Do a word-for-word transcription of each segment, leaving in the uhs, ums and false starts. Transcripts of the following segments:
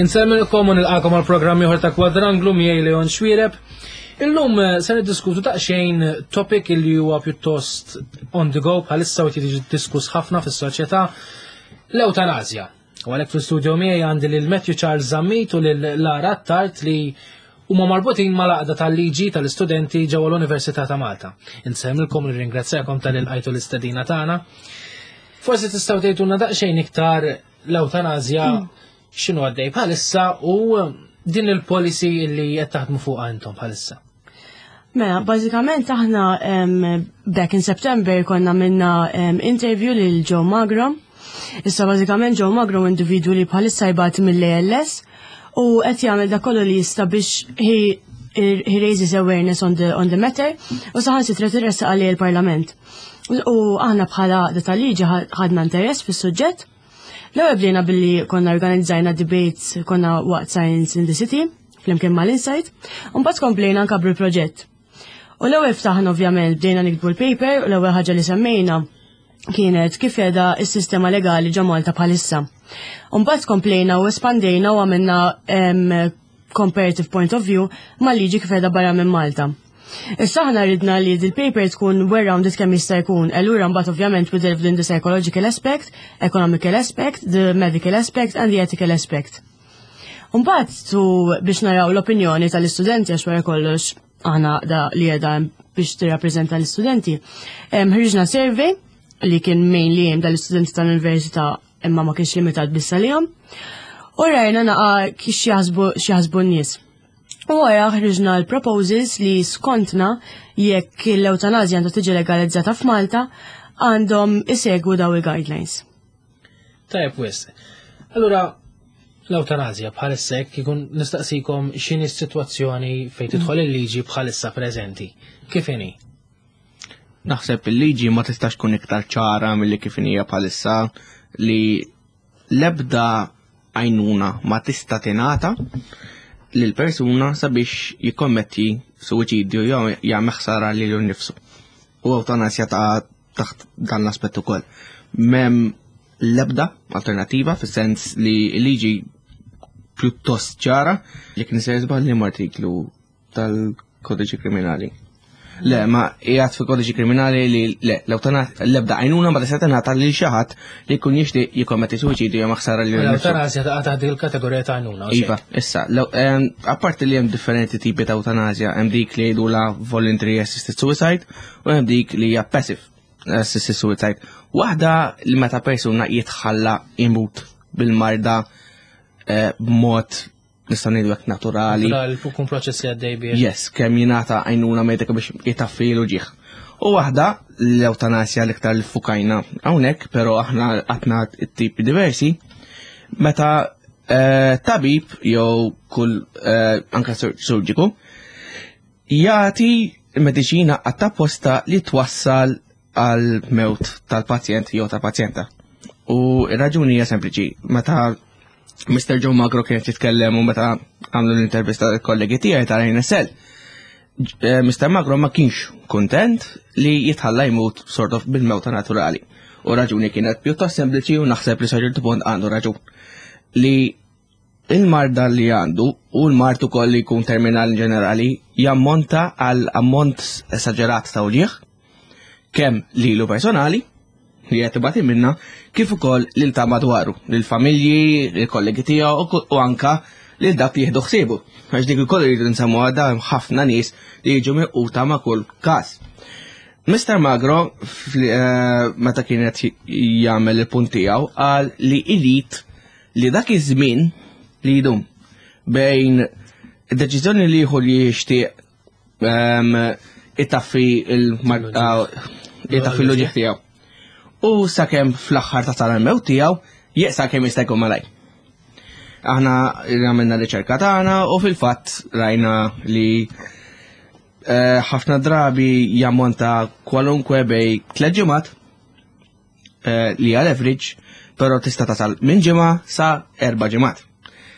Insellmilkom u nilqakom għal programm ieħor ta' Kwadranglu miegħi Leon Xuereb. Illum eh, se niddiskutu daqsxejn topic li huwa pjuttost on the go bħalissa u jiġi diskuss ħafna fis-soċjetà, l-eutanazja. U għalhekk fl-studio miegħi għandi lil Matthew Charles Zammit u lil Lara Tart li huma marbutin mal-għaqda tal-liġi tal-istudenti ġewwa l-Università ta' Malta. Insellmilkom, nirringrazzjakom talli lqajtu l-istedina tagħna. Forsi tistgħu tgħidulna daqsxejn iktar l-eutanazja, x'inhu għaddej bħalissa u din il-policy li qed taħdmu fuqha intom bħalissa. Mela, bażikament aħna um, back in September konna għamilna um, interview lil Joe Magro. Issa bażikament Joe Magro individu li bħalissa jbati mill-A L S u qed jagħmel dak kollu li jista' biex he, he raises awareness on the, on the matter u saħansitra tressaq għalih il-Parlament. U aħna bħala tal-liġi ħadna interess fis-suġġett. L-ewwel bdejna billi konna organizzajna debates, konna waqt Science in the City flimkien mal-Insight, u mbagħad komplejna nkabru l-proġett. U l-ewwel ftaħna, ovvjament bdejna niktbu l-paper, u l-ewwel ħaġa li semmejna kienet kif qiegħda s-sistema legali ġo Malta bħalissa. U mbagħad komplejna u espandejna u għamilna em, comparative point of view mal-liġi kif qiegħda barra minn Malta. Issa aħna ridna li dil-paper tkun well-rounded kemm jista' jkun. Allura mbagħad ovvjament we delved in the psychological aspect, economical aspect, the medical aspect and the ethical aspect. Mbagħad tu biex naraw l-opinjoni tal-istudenti, għax wara kollox aħna da li qiegħda biex tirrappreżenta l-istudenti. Em, Ħriġna survey li kien mainly aimed dal-istudenti tal-università, imma ma kienx limitat biss għalihom. U rajna naqa kif jaħsbu x'jaħsbu n-nies. U wara ħriġna l-proposals li skontna, jekk l-eutanazja għandha tiġi legalizzata f'Malta, għandhom isegwu daw il-guidelines. Tajjeb wisq. Allura, l-eutanazja bħalissa, jekk ikun nistaqsikom x'inhi s-sitwazzjoni fejn tidħol il-liġi bħalissa preżenti. Kif inhi? Naħseb il-liġi ma tistax tkun iktar ċara milli kif hija bħalissa, li l-ebda għajnuna ma tista' tingħata lil persuna sabiex jikkommetti suwiċidju jew jagħmel ħsara lilu nnifsu. U eutanasja ta' taħt dan l-aspett ukoll. M'hemm l-ebda alternativa, fis-sens li l-liġi pjuttost ċara, jekk nisir żball li artiklu tal-kodiċi kriminali. Le, ma qiegħed fi kodiċi kriminali li le, l-eutanasja, l-ebda għajnuna ma tista' tingħata lil xi ħadd li jkun jixtieq jikkommetti suwiċidju jew ħsara lil nnifsu. L-eutanazja taqa' taħt dik il-kategorija ta' għajnuna, u Iva, issa, law- em, apparti li hemm differenti tipi ta' eutanasja, hemm dik li jgħidu la voluntary assisted suicide u hemm dik li hija passive assisted suicide. Waħda li meta persuna jitħalla imut bil-marda eh, b'mod, nistgħu ngħidu hekk, naturali. Naturali, kun proċess li għaddej bih. Yes, kemm jingħata għajnuna medika biex jitaffi l-uġieħ. U waħda l-eutanasja l-iktar li fukajna hawnhekk, però aħna għatna tipi diversi, meta eh, tabib jew kull eh, anka sur- surġiku jagħti mediċina apposta li twassal għal mewt tal-pazjent jew tal-pazjenta. U ir-raġuni hija sempliċi, meta Mister Joe Magro kien jitkellem u meta għamlu l-intervista tal-kollegi tiegħi tal-N S L, eh, Mister Magro ma kienx kontent li jitħalla jmut sort of bil-mewta naturali. U raġuni kienet pjuttost sempliċi, u naħseb li sa ċertu punt għandu raġun. Li il-marda li għandu u l-mard ukoll li jkun terminal in ġenerali jammonta għal ammont esaġerat ta' uġieħ, kemm lilu personali li qed ibati minna, kif ukoll lil ta' madwaru, lil familji, lil kollegi tiegħu u u anka lil dak li jieħdu ħsiebu. Għax dik ukoll rridu nsemmu għadha, hemm ħafna nies li jiġu milquta ma' kull każ. Mister Magro fl- eh, meta kienet jagħmel il-punt tiegħu qal li irid li dak iż-żmien li jdum bejn id-deċiżjoni li jieħu li jixtieq ehm, itaffi il-marda, itaffi l-uġieħ tiegħu, u sakemm fl-aħħar ta' tal-mewt tiegħu, jeqsa kemm jista' jkun malaj. Aħna għamilna riċerka tagħna u fil-fatt rajna li eh, ħafna drabi jammonta kwalunkwe bejn tliet ġimgħat eh, li għal average, però tista' tasal minn ġimgħa sa erba' ġimgħat.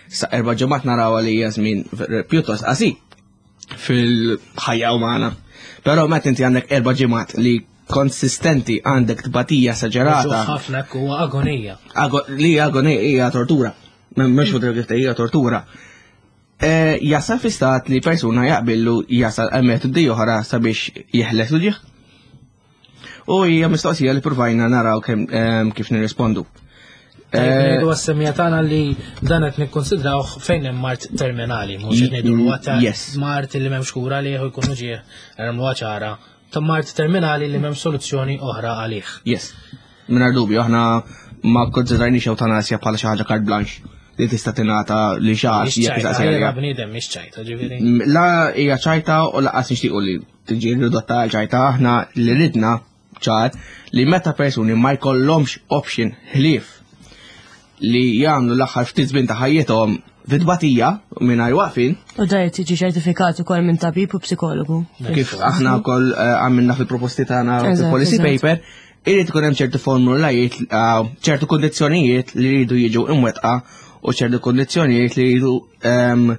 Sa erba' ġimgħat naraw li hija żmien pjuttost qasir fil-ħajja umana. Però meta inti għandek erba' ġimgħat li konsistenti għandek tbatija esaġerata, ħafna, hekk huwa agonija. Ago, li agonija hija tortura. Mhux fuq hija tortura. Eh, jasal fi stat li persuna jaqbillu jasal għal metodi oħra sabiex jeħles uġigħ. U hija mistoqsija li provajna naraw kemm em, kif nirrispondu. Tajjeb Eh, ngħidu għas-semmiegħa tagħna li dan qed nikkonsidrawh fejn hemm mard terminali, mhux qed ngħidu huwa ta' Yes. mard li m'hemmx kura għalih u jkun uġigħ nagħmluha ċara. Ta' mard terminali li m'hemmx soluzzjoni oħra għalih. Yes. Mingħajr dubju, aħna ma konsidrajniex eutanasja bħala xi ħaġa carte blanche li tista' tingħata li xi ħadd Mhix jekk ċajta, jistaqsi għalija għaliha. bniedem mhix ċajta, ġifieri. La hija ċajta u lanqas nixtiequ li tiġi ridotta għal ċajta, aħna li ridna ċar li meta persuni ma jkollhomx option ħlief li jagħmlu l-aħħar ftit żmien ta' ħajjithom fit-tbatija mingħajr waqfin, U da jrid tiġi ċertifikat ukoll minn tabib u psikologu. kif aħna wkoll eh, għamilna fil-proposti tagħna Eżatt, fil-policy eżatt. paper, irid ikun hemm ċertu formulajiet, eh, ċertu kondizzjonijiet li jridu jiġu imwettqa u ċertu kondizzjonijiet li jridu ehm,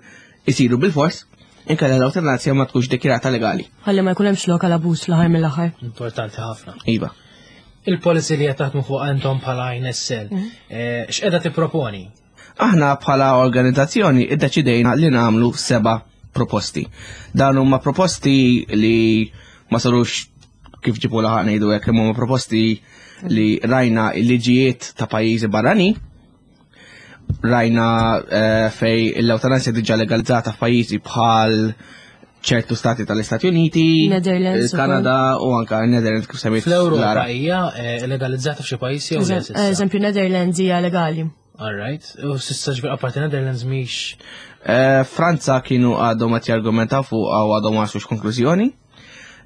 isiru bil-fors, inkella l-eutanasja ma tkunx dikjarata legali. Ħalli ma jkun hemmx lok għal abuż fl-aħħar mill-aħħar. Importanti ħafna. Iva. Il-policy li qed taħdmu fuq intom bħala N S L, eh, x'qiegħda tipproponi? Aħna bħala organizzazzjoni iddeċidejna li nagħmlu seba' proposti. Dan huma proposti li ma sarux kif ġibu laħaq ngħidu hekk, imma huma proposti li rajna il-liġijiet ta' pajjiżi barrani, rajna eh, fej l-eutanasja diġà legalizzata f'pajjiżi bħal ċertu stati tal-Istati Uniti, Netherlands il-Kanada u anka Netherlands kif semmejt Fl-Ewropa Lara. hija eh, legalizzata f'xi pajjiżi jew le s'issa? Eżempju, Netherlands hija legali. All right. U s'issa ġifieri apparti Netherlands mhix Eh, Franza kienu għadhom qed jargumentaw fuq u għadhom ma waslux konklużjoni.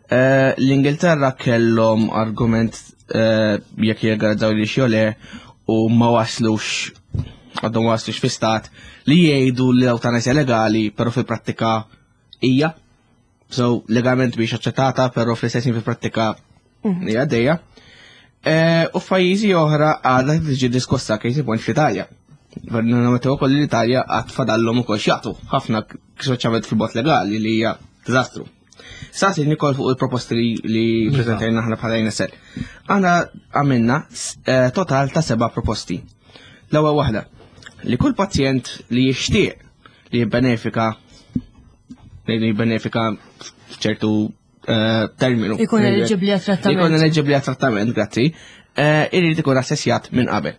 Eh, L-Ingilterra kellhom argument eh, jekk jirgazzaw li jew le u ma waslux għadhom ma waslux fi stat li jgħidu li l-eutanasja legali, però fil-prattika hija. So, legalment biex aċċettata, però fl-istess ħin fil-prattika hija għaddejja. Eh, U f'pajjiżi oħra għadha tiġi diskussa, case in point fl-Italja. Nammettu ukoll li l-Italja għad fadallhom ukoll x'jagħtu ħafna, speċjalment fil-bot legali li hija diżastru. Saqsi Nikol fuq il-proposti li, li prezentajna aħna bħala N S L. Aħna għamilna eh, total ta' seba' proposti. L-ewwel waħda, li kull pazjent li jixtieq li jibbenefika li jibbenefika f'ċertu eh, terminu. Ikun eliġibbli għat-trattament. Ikun eliġibbli għat-trattament, grazzi. eh, Irid ikun assessjat minn qabel.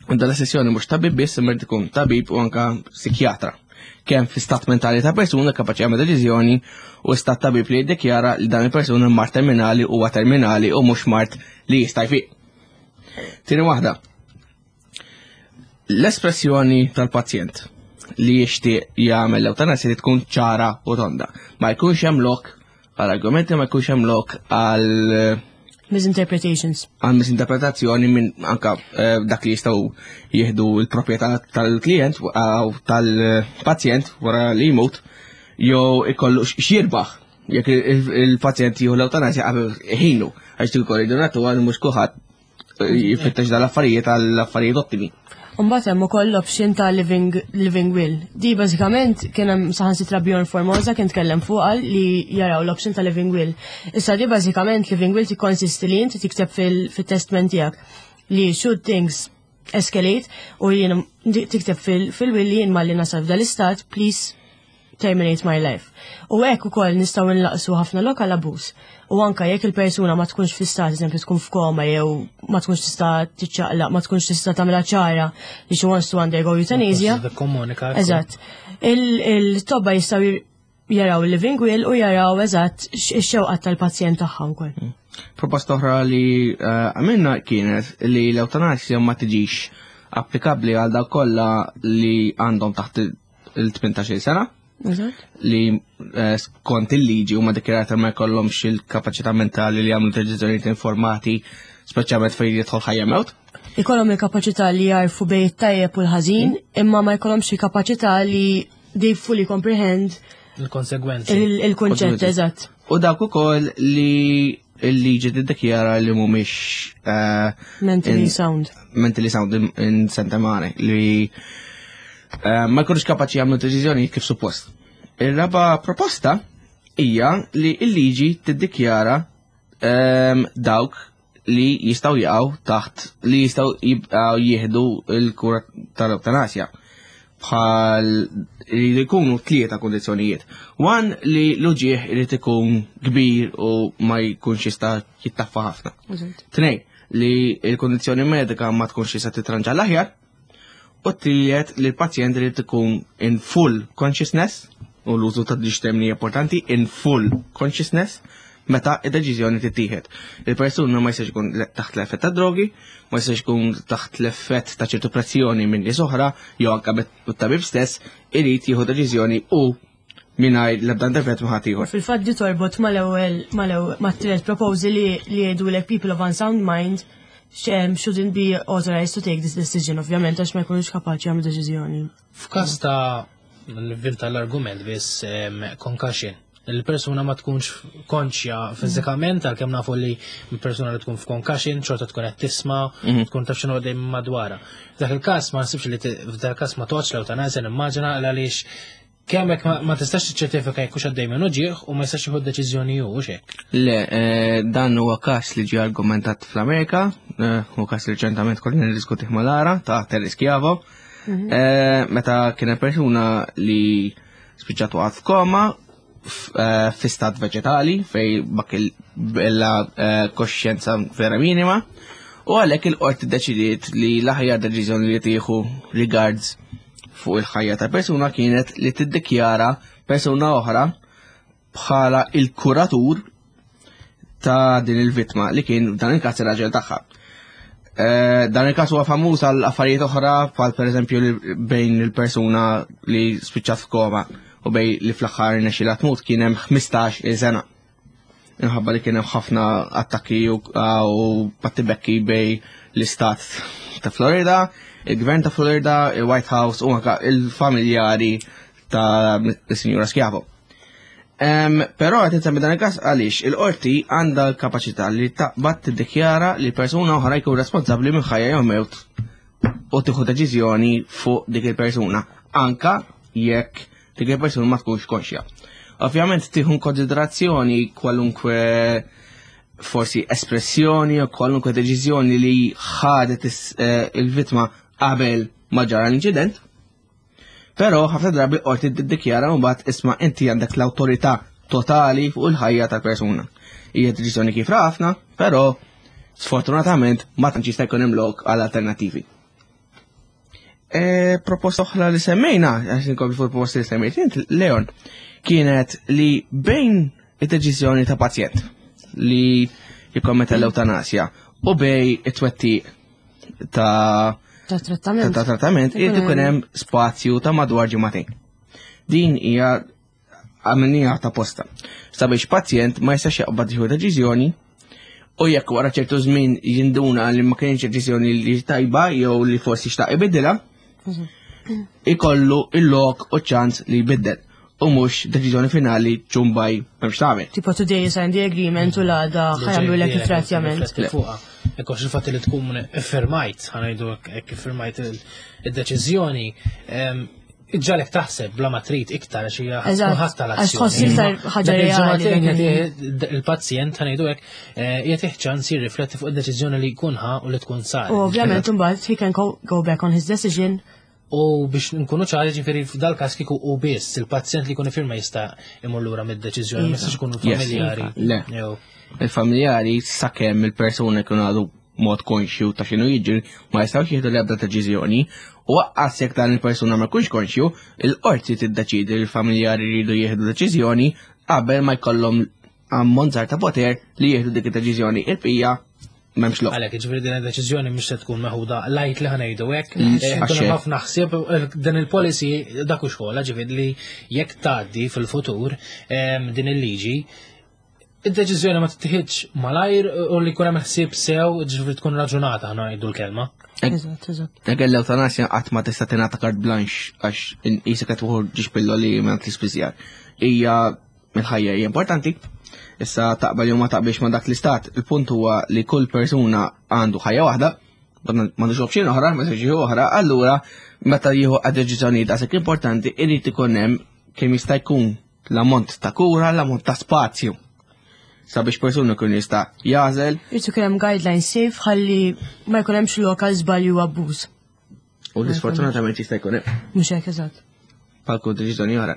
U dan l-assessjoni mhux tabib biss, imma jrid ikun tabib u anka psikjatra. Kemm fi stat mentali ta' persuna kapaċi jagħmel deċiżjoni u stat tabib li jiddikjara li dan il-persuna mard terminali huwa terminali u mhux mard li jista' jfiq. Tieni waħda. L-espressjoni tal-pazjent li jixtieq jagħmel l-eutanasja li tkun ċara u tonda. Ma jkunx hemm lok għal argumenti, ma jkunx hemm lok għal Misinterpretations. Għal misinterpretazzjoni minn anka eh, dak li jistgħu jieħdu l-proprjetà tal-klient u tal-pazjent wara li jmut jew ikollu x'jirbaħ jekk il-pazjent jieħu l-eutanasja qabel ħinu, għax tikol id-donatu għal mhux kulħadd jfittex dal-affarijiet għall affarijiet ottimi. Mbagħad hemm ukoll l-option ta' living, living will. Di bażikament kien hemm saħansitra Bjorn Formosa kien tkellem fuqha li jaraw l-option ta' living will. Issa di bażikament living will tikkonsisti li inti tikteb fil-testament tiegħek li should things escalate u jien tikteb fil-will li jien malli nasal f'dal-istat, please terminate my life. U hekk ukoll nistgħu nlaqsu ħafna lok għal abbuż. U anka jekk il-persuna ma tkunx fi stat, eżempju tkun f'koma jew ma tkunx tista' tiċċaqlaq, ma tkunx tista' tagħmilha ċara li she wants to undergo euthanasia. Komunika. Eżatt. Il-tobba jistgħu jaraw il-living will u jaraw eżatt ix-xewqat tal-pazjent tagħha wkoll. Mm. Proposta oħra li eh, għamilna kienet li l-eutanasja ma tiġix applikabbli għal dawk kollha li għandhom taħt il-tmintax-il sena li eh, skont il-liġi huma dikjarati ma jkollhomx il-kapaċità mentali li jagħmlu deċiżjonijiet informati, speċjalment fejn jidħol ħajja mewt. Ikollhom il-kapaċità li jarfu bejn it-tajjeb u l-ħażin, imma ma jkollhomx il-kapaċità li they fully comprehend il-konsegwenzi. Il-kunċett, eżatt. U dak ukoll li il-liġi tiddikjara li mhumiex eh, mentally sound. Mentally sound in sentemane li eh, ma jkunux kapaċi jagħmlu deċiżjoni kif suppost. Il-raba proposta hija li l-liġi tiddikjara ehm, dawk li jistgħu jaqgħu taħt li jistgħu jibqgħu jieħdu l-kura tal-ewtanasja. Bħal li jkunu tlieta kondizzjonijiet. One, li l-uġieħ irid ikun kbir u ma jkunx jista' jittaffa ħafna. Tnejn, li l-kondizzjoni medika ma tkunx jista' titranġa l-aħjar. U t-tielet, li l-pazjent irid ikun in full consciousness, u l-użu ta' diġ termini importanti, in full consciousness, meta id-deċiżjoni tittieħed. Il-persuna ma jistax ikun taħt l-effett ta' drogi, ma jistax ikun taħt l-effett ta' ċertu pressjoni minn nies oħra, jew anke bit-tabib stess, irid jieħu deċiżjoni u mingħajr l-ebda intervent ma' ħadd ieħor. Fil-fatt di torbot mal-ewwel mal-ewwel mat-tielet proposal li li jgħidulek people of unsound mind shouldn't be authorized to take this decision, ovvjament, għax ma jkunux kapaċi jagħmlu deċiżjoni. F'każ ta' nivvinta l-argument biss, concussion, il-persuna ma tkunx konxja fiżikament, għalkemm nafu li persuna li tkun f'concussion xorta tkun qed tisma', Mhm. tkun taf x'inhu għaddej madwarha. F'dak il-każ ma nsibx li f'dak il-każ ma toqgħodx l-ewtanasja, nimmaġina, għaliex kemm hekk ma ma tistax tiċċertifika jekk hux għaddej minn uġieħ u ma jistax jieħu deċiżjoni hu hekk. Le, eh, dan huwa każ li ġie argumentat fl-Amerika, eh, u każ li reċentament konna niddiskutih mal-Lara ta' Terry Schiavo. Eh, meta kien hemm persuna li spiċċat waqgħet f'koma eh, fi stat veġetali fej bak il-bella eh, koxjenza vera minima, u għalhekk il-qorti deċidiet li l-aħjar deċiżjoni li tieħu regards fuq il-ħajja ta' persuna kienet li tiddikjara persuna oħra bħala il-kuratur ta' din il-vittma, li kien dan il-każ ir-raġel tagħha. Eh, dan il-każ huwa famuż għal affarijiet oħra, bħal pereżempju li bejn il-persuna li spiċċat f'koma u bejn li fl-aħħar nexxilha tmut kien hemm ħmistax-il sena. Minħabba li kien hemm ħafna attakki u, u battibekki bejn l-istat ta' Florida, il-gvern ta' Florida, il-White House u anka il-familjari ta' il-Sinjura Schiavo. Um, però qed insemmi dan il-każ għaliex il-qorti għandha l-kapaċità li taqbad tiddikjara li persuna oħra jkun responsabbli minn ħajja jew mewt u tieħu deċiżjoni fuq dik il-persuna, anka jekk dik il-persuna ma tkunx konxja. Ovvjament tieħu konsiderazzjoni kwalunkwe forsi espressjoni u kwalunkwe deċiżjoni li ħadet eh, il-vittma qabel ma ġara l-inċident. Però ħafna drabi qorti tiddikjara mbagħad, isma', inti għandek l-awtorità totali fuq il-ħajja tal-persuna. Hija deċiżjoni kif ħafna, però sfortunatament ma tantx jista' jkun hemm lok għal alternattivi. E, proposta oħra li semmejna, għax inkompli fuq proposta li semmejt int, Leon, kienet li bejn id-deċiżjoni ta' pazjent li jikkommetta l-eutanasja u bejn it-twettiq ta' Ta' trattament. ta' trattament irid ikun hemm spazju ta' madwar ġimagħtejn. Din hija għamilniha ta' posta sabiex pazjent ma jistax jaqbad jieħu deċiżjoni u jekk wara ċertu żmien jinduna li ma kienx deċiżjoni li tajba jew li forsi xtaq ibiddilha, ikollu il-lok u ċans li jbiddel u mhux deċiżjoni finali ċumbaj m'hemmx tagħmel. Tipo today you sign the agreement u l-għada ħa jagħmlulek il-trattament. Fuqha. Ekkox il-fatt li tkun iffirmajt, ħa ngħidu hekk, iffirmajt il-deċiżjoni, iġġagħlek taħseb bla ma trid iktar għax hija Eżatt, tkun ħadd għax tħoss iktar ħaġa Dak reali, il-ġimagħtejn dak jagħti il-pazjent, ħa ngħidu hekk, eh, jagħtih ċans jirrifletti fuq id-deċiżjoni li jkun ħa u li tkun sar. U ovvjament imbagħad he can go, go back on his decision. U biex nkunu ċari, ġifieri f'dal każ kieku u biss il-pazjent li jkun ifirma jista' imur lura mid-deċiżjoni, ma Iva. jistax ikunu Yes. familjari. Le. Jew Il-familjari, sakemm il-persuna jkun għadu mod konxju ta' x'inhu jiġri, ma jistgħux jieħdu l-ebda deċiżjoni, u anqas jekk dan il-persuna ma jkunx konxju, il-qorti tiddeċidi li l-familjari jridu jieħdu deċiżjoni qabel ma jkollhom ammont żgħar ta' poter li jieħdu dik id-deċiżjoni. Il-bqija m'hemmx lok. Għalhekk, ġifieri din id-deċiżjoni mhux se tkun meħuda lajt li ħa ngħidu hekk. Mm, Eh, għax Ikun hemm hekk. ħafna ħsieb eh, din il-policy dak u xogħol, ġifieri li jekk tgħaddi fil-futur em, din il-liġi, id-deċiżjoni ma tittieħidx malajr u li jkun hemm ħsieb sew, ġifieri tkun raġunata, ħa ngħidu l-kelma. Eżatt, eżatt. Dak l-eutanasja qatt ma tista' tingħata carte blanche għax qisek qed tieħu ġiex pilloli minn l-ispiżjar. Hija il-ħajja hija importanti. Issa taqbel jew ma taqbilx ma dak l-istat, il-punt huwa li kull persuna għandu ħajja waħda, m'għandux option oħra, ma jistax oħra, allura meta jieħu deċiżjonijiet daqshekk importanti irid ikun hemm kemm jista' jkun l-ammont ta' kura, l-ammont ta' spazju. Sabiex persuna kun jista' jagħżel. Irid ikun hemm guidelines safe ħalli ma jkun hemmx lokal żbalju u abbuż. U l-sfortunatament jista' jkun hemm. Mhux hekk, eżatt. Bħal kull deċiżjoni oħra.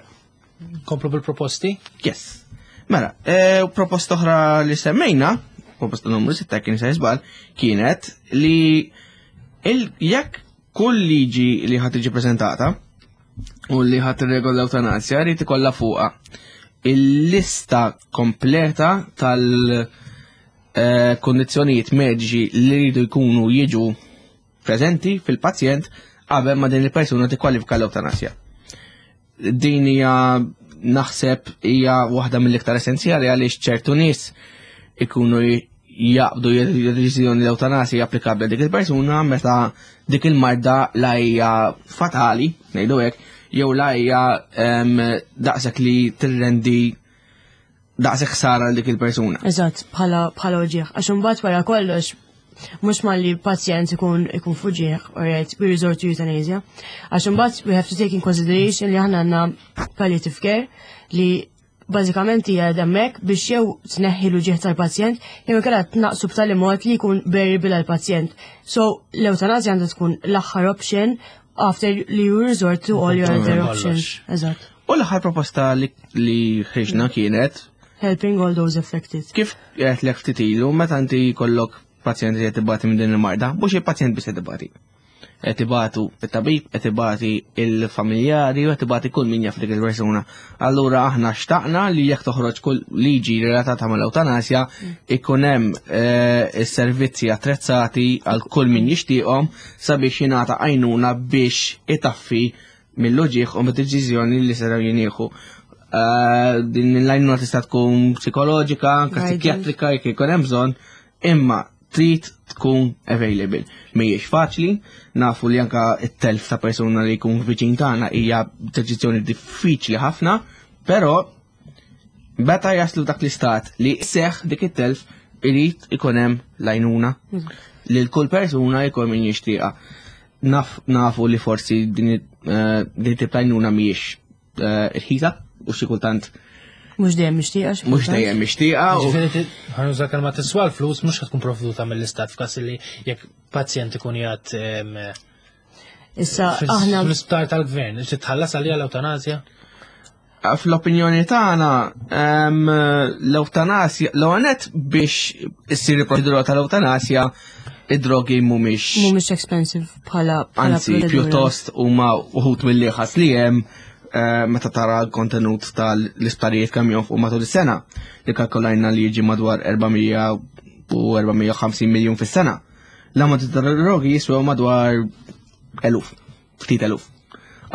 Komplu bil-proposti? Yes. Mela, e, proposta oħra li semmejna, proposta numru sitta kien se żball, kienet li jekk kull liġi li ħadd tiġi preżentata u li ħadd tirregola l-ewtanasja jrid ikollha fuqha il-lista kompleta tal- eh, kondizzjonijiet mediċi li jridu jkunu jiġu preżenti fil-pazjent qabel ma din il-persuna tikkwalifika l-ewtanasja. Din hija, naħseb, hija waħda mill-iktar essenzjali għaliex ċertu nies ikunu jaqbdu deċiżjoni l-ewtanasja applikabbli dik il-persuna meta dik il-marda la hija fatali, ngħidu hekk, jew la hija daqshekk li tirrendi daqshekk ħsara dik il-persuna. Eżatt, bħala bħala uġieħ. Għax imbagħad wara kollox mhux malli pazjent ikun ikun f'uġigħ, alright, we resort to euthanasia. Għax imbagħad we have to take in consideration li aħna għandna palliative care li bażikament hija hemmhekk biex jew tneħħi l-uġieħ tal-pazjent jew inkella tnaqsu b'tali mod li jkun bearable għall-pazjent. So l-eutanasja għandha tkun l-aħħar option after li you resort to all your other options. Eżatt. U l-aħħar proposta li, li ħriġna kienet helping all those affected. Kif qed lek ftit ilu, meta inti jkollok pazjent li qed ibati minn din il-marda, mhux il-pazjent biss qed ibati. Qed ibatu it-tabib, qed ibati il-familjari u qed ibati kull min jaf dik il-persuna. Allura aħna xtaqna li jekk toħroġ kull liġi relatata mal-ewtanasja ikun hemm eh, is-servizzi attrezzati għal kull min jixtieqhom sabiex jingħata għajnuna biex itaffi mill-uġigħ u mid-deċiżjoni li seraw jinieħu. Eh, din l-għajnuna tista' tkun psikoloġika, anke Guidance. psikjatrika jekk ikun hemm bżonn, imma trid tkun available. Mhijiex faċli, nafu li anka it-telf ta' persuna li jkun viċin tagħna hija deċiżjoni diffiċli ħafna, però meta jaslu dak l-istat li seħ dik it-telf irid ikun hemm l-għajnuna li l-kull persuna jkun min jixtieqha. Naf, nafu li forsi din eh, din tip ta' għajnuna mhijiex eh, irħisa u xi kultant Mhux dejjem mixtieqa. Xi mhux kultant. dejjem mixtieqa u Ġifieri ħa nuża kelma tiswa l-flus, mhux tkun provduta mill-istat f'każ li jekk pazjent ikun jgħid em, Issa fil- aħna fl-isptar tal-gvern, titħallas għalija l-ewtanasja? Fl-opinjoni tagħna em, l-ewtanasja, l-għonet biex issir il-proċedura tal-ewtanasja, id-drogi mhumiex mhumiex expensive bħala bħala anzi proċedura. Pjuttost huma uħut mill-ħas li hemm eh, meta tara l-kontenut tal-isptarijiet kemm jonfqu matul is-sena, li kalkolajna li jiġi madwar erba' mija u erba' mija u ħamsin miljun fis-sena. L-ammont ta' drogi jiswew madwar eluf, ftit eluf.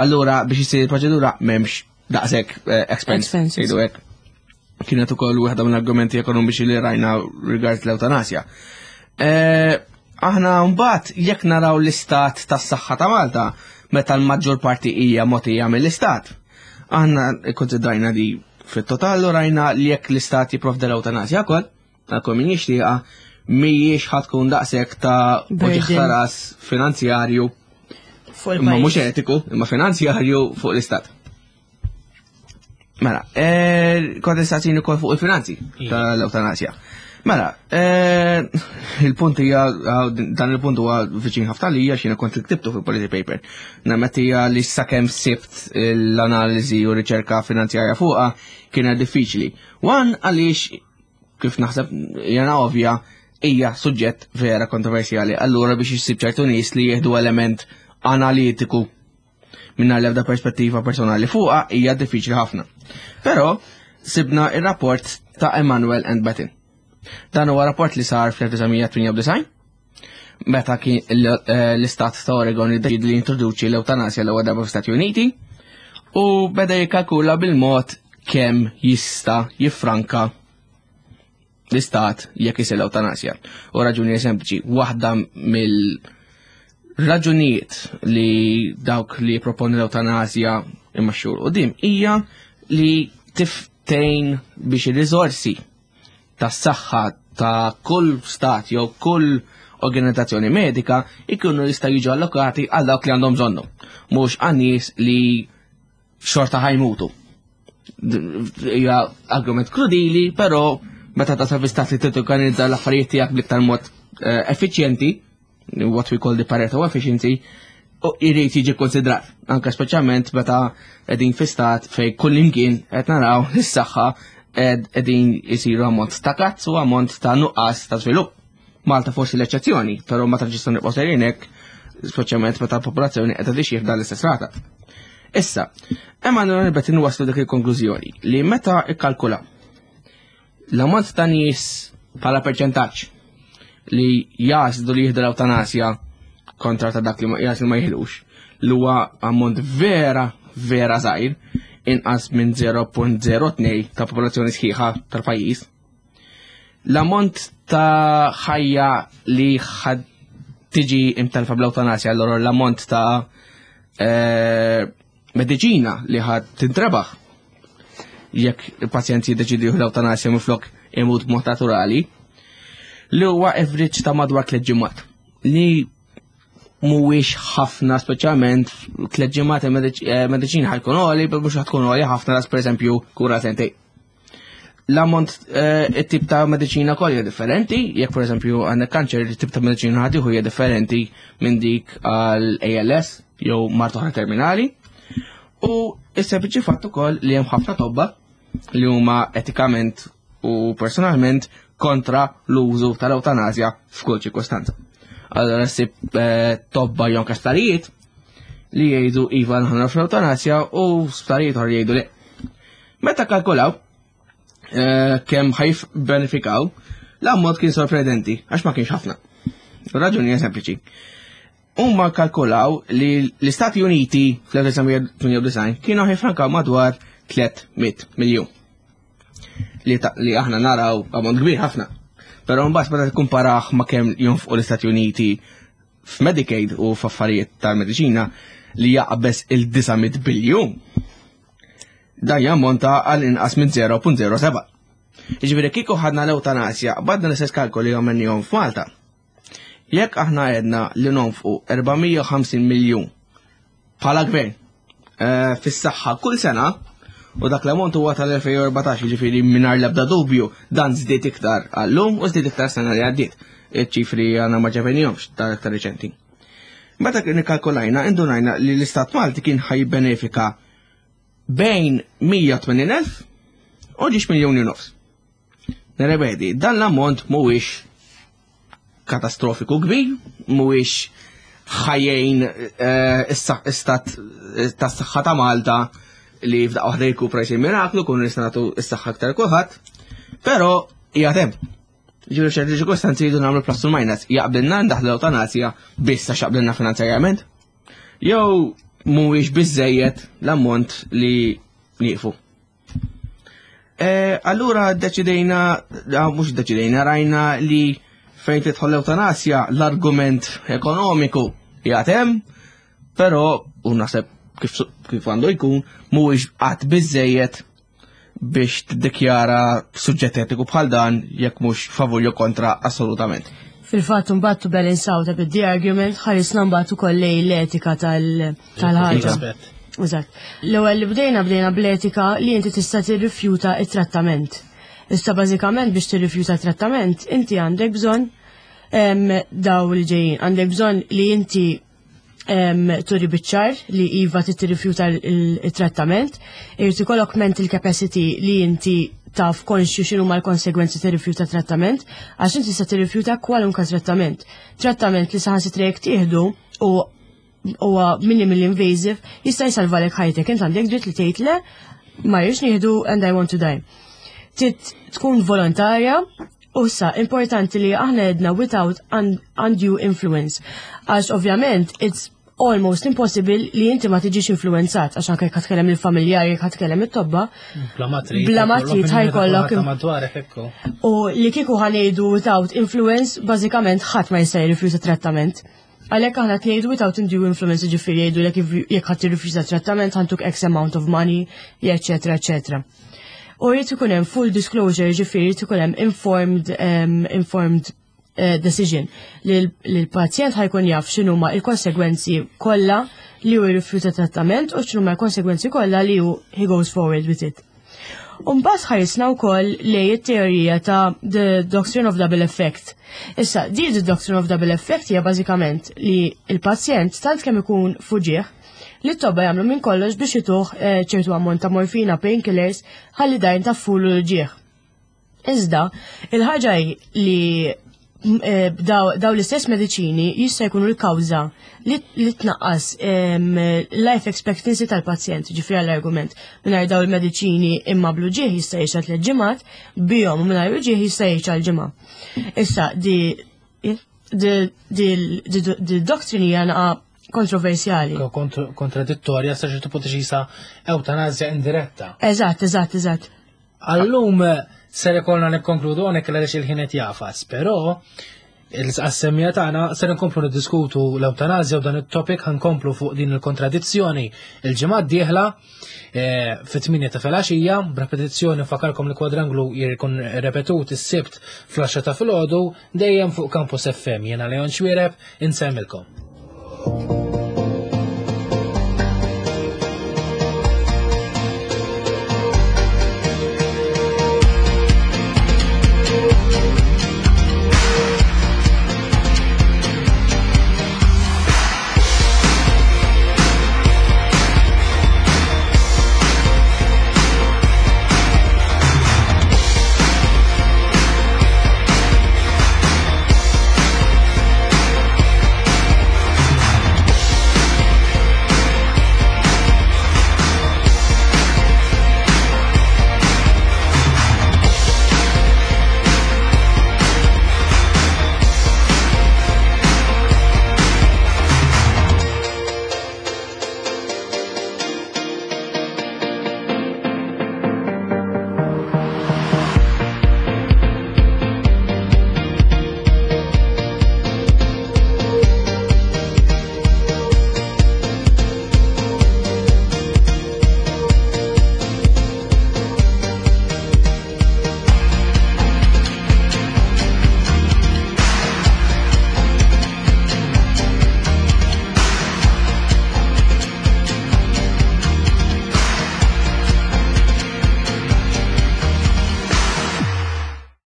Allura biex isir il-proċedura m'hemmx daqshekk eh, expense. Expenses. Jgħidu hekk. Kienet ukoll wieħda mill-argumenti ekonomiċi li rajna rigward l-ewtanasja. Eh, Aħna mbagħad jekk naraw l-istat tas-saħħa ta' Malta, meta l-maġġor parti hija mogħtija mill-istat. Aħna ikkonsidrajna di fit-total u rajna li jekk l-istat jipprovdi l-ewtanasja wkoll, ta' kull min jixtieqha, mhijiex ħa tkun daqshekk ta' Burden. uġigħ ta' ras finanzjarju Fuq imma mhux il-pajjiż. etiku, imma finanzjarju fuq l-istat. Mela, eh, kontestazzjoni wkoll fuq il-finanzi tal-ewtanasja. Mela, eh, il-punt hija, dan il-punt huwa viċin ħafna li hija x'jiena kont ktibtu fil-policy paper. Nammetti hija li sakemm sibt l-analiżi u riċerka finanzjarja fuqha kienet diffiċli. One, għaliex kif naħseb jana ovvja, hija suġġett vera kontroversjali. Allura biex jissib ċertu nies li jieħdu element analitiku minna l-ebda perspettiva personali fuqha hija diffiċli ħafna. Però sibna ir-rapport ta' Emanuel and Bettin. Dan huwa rapport li sar fl-elf disa' mija tmienja u disgħin meta kien l- eh, l-istat ta' Oregon iddeċieda li introduċi l-ewtanasja l-ewwel darba fl-Stati Uniti u beda jikkalkula bil-mod kemm jista' jiffranka l-istat jekk isir l-ewtanasja. U raġuni sempliċi, waħda mill-raġunijiet li dawk li proponi l-ewtanasja imma xhur quddiem hija li tiftejn biex ir-riżorsi tas-saħħa ta' kull stat jew kull organizzazzjoni medika ikunu jista' jiġu allokati għal dawk li għandhom bżonnu, mhux għan nies li xorta ħa jmutu. Hija argument krudili, però Meta tasal fi stat li torganizza l-affarijiet tiegħek bl-iktar mod eh, effiċjenti, what we call the Pareto efficiency, u jrid jiġi konsidrat. Anka speċjalment meta qegħdin fi stat fej kull imkien qed naraw is-saħħa qegħdin isiru ammont ta' cuts u ammont ta' nuqqas ta' żvilupp. Malta forsi l-eċċezzjoni, però ma traġistu nibqgħu sejrin hekk, speċjalment meta l-popolazzjoni qed tixjih dan l-istess rata. Issa, Emanuel Rebet waslu dik il-konklużjoni li meta ikkalkula l-ammont ta' nies bħala perċentaġġ li jagħżlu li jieħdu l-ewtanasja kontra ta' dak li ma jagħżlu ma jiħdux, li huwa ammont vera, vera żgħir, inqas minn zero punt zero tnejn ta' popolazzjoni sħiħa tal-pajjiż. L-ammont ta' ħajja li ħad tiġi imtelfa bl-ewtanasja, allora l-ammont ta' eh, mediċina li ħad tintrebaħ jekk il-pazjent jiddeċidi jieħu l-ewtanasja minflok imut b'mod naturali, li huwa average ta' madwar tliet ġimgħat. Li mhuwiex ħafna, speċjalment tliet ġimgħat il-mediċina ħa jkun għoli, mhux ħa tkun għoli ħafna daqs, pereżempju, kura sentejn. L-ammont, eh, it-tip ta' mediċina kollha hija differenti, jekk pereżempju għandek kanċer, it-tip ta' mediċina ħa tieħu hija differenti minn dik għal A L S jew mard oħra terminali. U is-sempliċi fatt ukoll li hemm ħafna tobba li huma etikament u personalment kontra l-użu tal-ewtanasja f'kull ċirkostanza. Allora ssib eh, tobba jew sptarijiet li jgħidu iva, aħna fl-ewtanasja, u sptarijiet oħra jgħidu le. Meta kalkulaw eh, kemm ħa jibbenefikaw, l-ammont kien sorprendenti għax ma kienx ħafna. Raġuni hija sempliċi. Huma kalkulaw li l-Istati Uniti fl-elf disa' mija tmienja u disgħin kienu ħa jiffrankaw madwar tliet mitt miljun. Li, ta, li aħna naraw ammont kbir ħafna. Però mbagħad meta tikkumparah ma' kemm jonfqu l-Istati Uniti f'Medicaid u f'affarijiet tal-mediċina li jaqbeż il-disa' mitt biljun, dan jammonta għal inqas minn zero punt zero seba'. Jiġifieri kieku ħadna l-ewtanasja, badna l-istess kalkoli għamilnihom f'Malta. Jekk aħna għedna li nonfqu erba' mija u ħamsin miljun bħala gvern eh, fis-saħħa kull sena, u dak l-ammont huwa tal-elfejn u erbatax, jiġifieri mingħajr l-ebda dubju dan żdied iktar għallum u żdied iktar sena li għaddiet. Iċ-ċifri għandna ma ġibnihomx tal-aktar reċenti. Meta kien ikkalkulajna, indunajna li l-Istat Malti kien ħa jibbenefika bejn mija u tmenin elf u żewġ miljoni u nofs. Nirrepeti, dan l-ammont mhuwiex katastrofiku kbir, mhuwiex ħa jgħin istat tas-saħħa ta' Malta li f'daqqa waħda jirkupra, jsir miraklu, kun nistgħu nagħtu s-saħħa aktar kulħadd, però hija hemm. Ġifieri ċerti ċirkostanzi jridu nagħmlu plus u minus. Jaqbilna ndaħlu l-ewtanasja biss għax jaqbilna finanzjarjament? Jew mhuwiex biżejjed l-ammont li nieqfu? Eh, allura deċidejna, ah, mhux deċidejna, rajna li fejn tidħol l-ewtanasja l-argument ekonomiku jgħatem, però u naħseb kif, kif għandu jkun, mhuwiex qatt biżejjed biex tiddikjara suġġett etiku bħal dan jekk mhux favur jew kontra assolutament. Fil-fatt mbagħad to balance out a bit the argument, ħarisna mbagħad ukoll lejn l-etika tal- tal-ħaġa. Aspett. Eżatt. L-ewwel li bdejna bdejna bl-etika li inti tista' tirrifjuta it-trattament. Issa bażikament biex tirrifjuta trattament inti għandek bżonn em, daw li ġejjin. Għandek bżonn li inti em, turi biċ-ċar li iva tirrifjuta il-trattament, irid ikollok mental capacity li inti taf konxju x'inhu ma l-konsegwenzi tirrifjuta trattament, għax inti tista' tirrifjuta kwalunkwe trattament. Trattament li saħansitra jekk tieħdu u huwa minimally invasive jista' jsalvalek ħajtek. Int għandek dritt li tgħid le, ma rridx nieħdu and I want to die. Trid tkun volontarja u sa importanti li aħna għedna without un undue influence. Għax ovvjament it's almost impossible li inti ma tiġix influenzat, għax anke jekk tkellem il-familjari, jekk tkellem it-tobba, Bla ma trid. Bla ma trid ħa jkollok- Madwarek ekku. U li kieku ħa ngħidu without influence, bażikament ħadd ma jista' jirrifjuta trattament. Għalhekk aħna tgħidu without undue influence, ġifieri jgħidu lek jekk ħadd tirrifjuta trattament ħa ntuk X amount of money, eċetera, eċetera. U jrid ikun hemm full disclosure, ġifieri jrid ikun hemm informed um, informed uh, decision li l-pazjent ħa jkun jaf x'inhuma il-konsegwenzi kollha li hu jirrifjuta trattament u x'inhuma l-konsegwenzi kollha li hu he goes forward with it. Umbagħad ħarisna wkoll lejn it-teorija ta' The Doctrine of Double Effect. Issa, di The Doctrine of Double Effect hija bażikament li il-pazjent tant kemm ikun f'uġigħ li t-tobba jagħmlu minn kollox biex jtuh eh, ċertu ammont ta' morfina, painkillers, ħalli dajn taffulu l-uġigħ. Iżda, il-ħaġa hi li m, eh, daw daw l-istess mediċini jista' jkunu l-kawża li li tnaqqas em, life expectancy tal-pazjent, ġifieri għall-argument. Mingħajr daw il-mediċini imma bl-uġigħ jista' jgħix tliet ġimgħat, bihom u mingħajr uġigħ jista' jgħix għal ġimgħa. Issa, di di di di di doctrine hija naqa kontroversjali. Kontr- Kontradittorja sa ċertu punt xisa ewtanazja indiretta. Eżatt, eżatt, eżatt. Għallum ser ikollna nikkonkludu hawnhekk għaliex il-ħin qed jagħfas, però il-assemmija tagħna ser nkomplu niddiskutu l-ewtanazja u dan it-topic, ħa nkomplu fuq din il-kontradizzjoni il-ġimgħa d-dieħla eh, fit-tmienja ta' filgħaxija, b'repetizzjoni nfakkarkom li Kwadranglu jkun repetut is-Sibt fl-għaxra ta' filgħodu dejjem fuq Campus F M. Jiena Leon Xwireb, insemmilkom.